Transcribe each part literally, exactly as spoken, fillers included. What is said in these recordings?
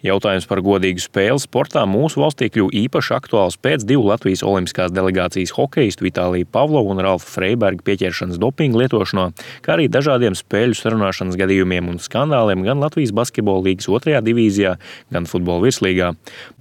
Jautājums par godīgu spēli sportā mūsu valstī kļuva īpaši aktuāls pēc divu Latvijas olimpiskās delegācijas hokejistu Vitālija Pavlova un Ralfa Freiberga pieķeršanas dopinga lietošanā, kā arī dažādiem spēļu sarunāšanas gadījumiem un skandāliem gan Latvijas basketbola līgas otrajā divīzijā, gan futbola virslīgā.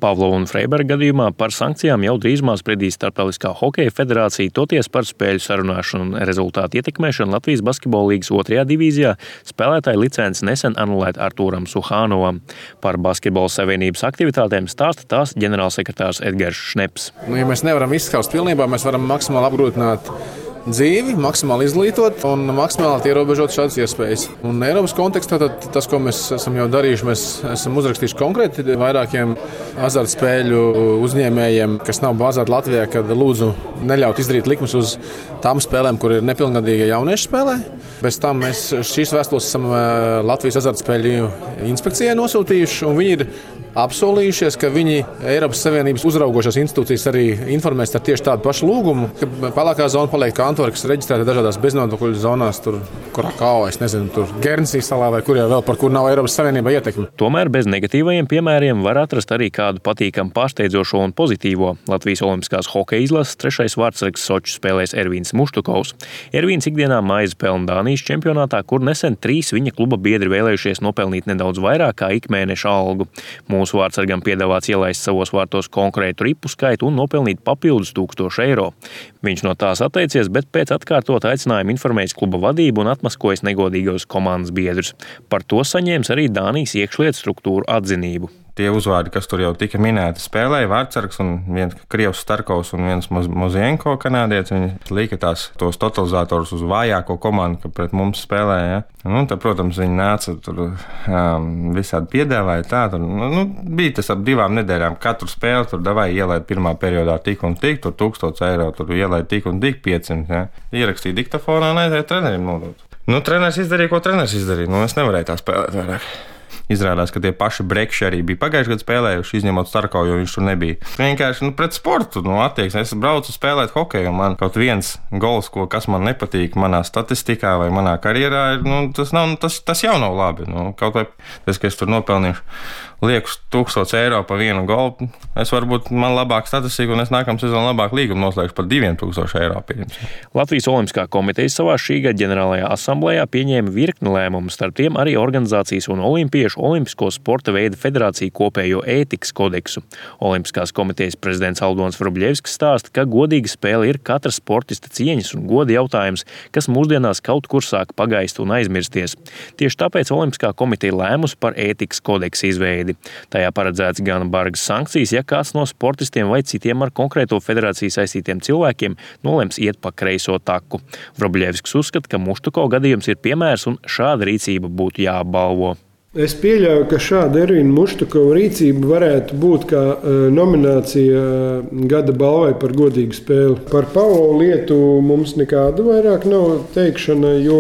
Pavlova un Freiberga gadījumā par sankcijām jau drīzumā spriedīs Starptautiskā hokeja federācija, toties par spēļu sarunāšanu un rezultātu ietekmēšanu Latvijas basketbola līgas otrajā divīzijā spēlētāja licenci nesen anulēta Artūram Suhānovam. Par basketbola savienības aktivitātēm stāsta tās ģenerālsekretārs Edgars Šneps. Nu, ja mēs nevaram izskaust pilnībā, mēs varam maksimāli apgrūtināt dzīvi, maksimāli izglītot un maksimāli ierobežot šādas iespējas. Un Eiropas kontekstā tad, tas, ko mēs esam jau darījuši, mēs esam uzrakstījuši konkrēti vairākiem azartspēļu uzņēmējiem, kas nav bāzēti Latvijā, kad lūdzu neļaut izdarīt likumus uz tām spēlēm, kur ir nepilngadīgie jaunieši spēlē. Bez tam mēs šīs vēstules esam Latvijas azartspēļu inspekcijai nosūtījuši, un viņi ir apsolījušies, ka viņi Eiropas Savienības uzraugošās institūcijas arī informēs ar tieši tādu pašu lūgumu, ka pelēkā zona paliek kā Antverpena, kas reģistrēta dažādās beznodokļu zonās, tur, kurā kā, es nezinu, tur Guernsey salā vai kur jau vēl, par kur nav Eiropas Savienībā ietekme. Tomēr bez negatīvajiem piemēriem var atrast arī kādu patīkamu pārsteidzošo un pozitīvo. Latvijas olimpiskās hokeja izlases trešais vārdsargs Soču spēlēs Ervīns Muštukovs. Ervīns ikdienā maizi pelna Dānijas čempionātā, kur nesen trīs viņa kluba biedri vēlējušies nopelnīt nedaudz vairāk kā ikmēneša algu. Mūsu vārdsargam piedāvāts ielaist savos vārtos konkrētu ripu skaitu un nopelnīt papildus tūkstošu eiro. Viņš no tās atteicies, bet pēc atkārtot aicinājumu informējis kluba vadību un atmaskojis negodīgos komandas biedrus. Par to saņēmis arī Dānijas iekšlietu struktūru atzinību. Tie uzvārdi, kas tur jau tika minēti, spēlēja vārdsargs un viens Krievs Starkovs un viens Mozienko kanādietis. Viņi lika tās tos totalizatorus uz vājāko komandu, ka pret mums spēlēja. Ja? Nu, tad, protams, viņi nāca tur um, visādi piedāvāja tā. Tur, nu, nu, bija tas ap divām nedēļām. Katru spēli tur davai ielaid pirmā periodā tik un tik, tur tūkstots eiro, tur ielaid tik un tik piecsimt. Ja? Ierakstīja diktafonā un aizēja trenerim nodot. Nu, treneris izdarīja, ko treneris izdarīja. Nu, es nevarēju tā spēlēt vairāk. Izrādās, ka tie paši brekši arī bija pagājušajā gadā spēlējuši, izņemot Starkovu, jo viņš tur nebija. Vienkārši nu, pret sportu nu, attieksmi. Es braucu spēlēt hokeju, un man kaut viens gols, ko, kas man nepatīk manā statistikā vai manā karjerā, ir, nu, tas, nav, tas, tas jau nav labi. Nu, kaut vai tas, ka es tur nopelnīšu liekus tūkstots eiro par vienu golu, es varbūt man labāk statistika, un es nākamā sezonā labāk līgumu noslēgšu par diviem tūkstošiem eiro. Pieņems. Latvijas Olimpiskā komiteja savā šī gada ģenerālajā asamblējā pieņēma virkni lēmumu, starp tiem arī organizācijas un olimpiešu Olimpisko sporta veidu federāciju kopējo ētikas kodeksu. Olimpiskās komitejas prezidents Aldons Vrubļevskis stāsta, ka godīga spēle ir katra sportista cieņas un goda jautājums, kas mūsdienās kaut kur sāk pagaist un aizmirsties. Tieši tāpēc Olimpiskā komiteja lēmusi par ētikas kodeksu izveidi. Tajā paredzēts gan bargas sankcijas, ja kāds no sportistiem vai citiem ar konkrēto federāciju saistītiem cilvēkiem nolems iet pa kreiso taku. Vrubļevskis uzskata, ka Muštukova gadījums ir piemērs un šāda rīcība būtu jāapbalvo. Es pieļauju, ka šāda Ervīna Muštukova rīcība varētu būt kā nominācija gada balvai par godīgu spēli. Par Pavlovu lietu mums nekāda vairāk nav teikšana, jo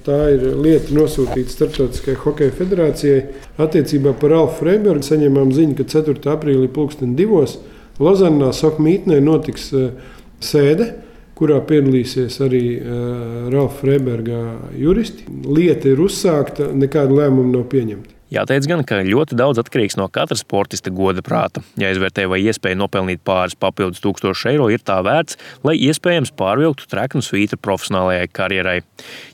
tā ir lieta nosūtīta Starptautiskajai hokeja federācijai. Attiecībā par Ralfu Freibergu saņēmām ziņu, ka ceturtā aprīlī pulksten divos Lozannā Soka mītnē notiks sēde, kurā piedalīsies arī uh, Ralfa Freiberga juristi. Lieta ir uzsākta, nekāda lēmuma nav pieņemta. Jāteic gan, ka ļoti daudz atkarīgs no katra sportista goda prāta. Jāizvērtē, vai iespēja nopelnīt pāris papildus tūkstošu eiro ir tā vērts, lai iespējams pārvilktu treknu svītru profesionālajai karjerai.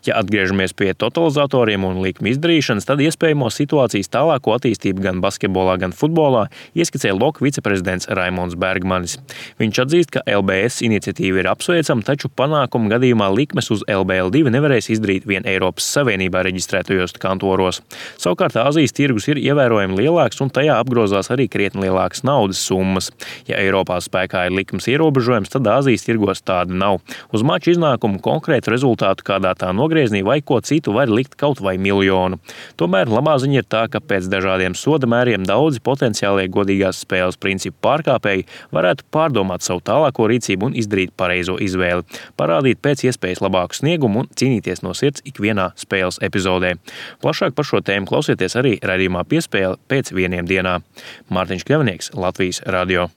Ja atgriežamies pie totalizatoriem un likuma izdarīšanas, tad iespējamo situācijas tālāko attīstību gan basketbolā, gan futbolā ieskicē Loka viceprezidents Raimonds Bergmanis. Viņš atzīst, ka L B S iniciatīva ir apsveicama, taču panākumu gadījumā likmes uz L B L divi nevarēs izdarīt vien Eiropas Savienībā reģistrētajos kantoros. Savukārt Āzijas tirgus ir ievērojami lielāks un tajā apgrozās arī krietni lielākas naudas summas. Ja Eiropā spēkā ir likums ierobežojums, tad Āzijas tirgos tāda nav. Uz maču iznākumu konkrētu rezultātu kādā tā nogrieznī vai ko citu var likt kaut vai miljonu. Tomēr labā ziņa ir tā, ka pēc dažādiem soda mēriem daudzi potenciālie godīgās spēles principu pārkāpēji varētu pārdomāt savu tālāko rīcību un izdarīt pareizo izvēli, parādīt pēc iespējas labāku sniegumu un cīnīties no sirds ikvienā spēles epizodē. Plašāk par šo tēmu klausieties arī raidījumā Piespēle pēc vieniem dienā. Mārtiņš Kļavnieks, Latvijas radio.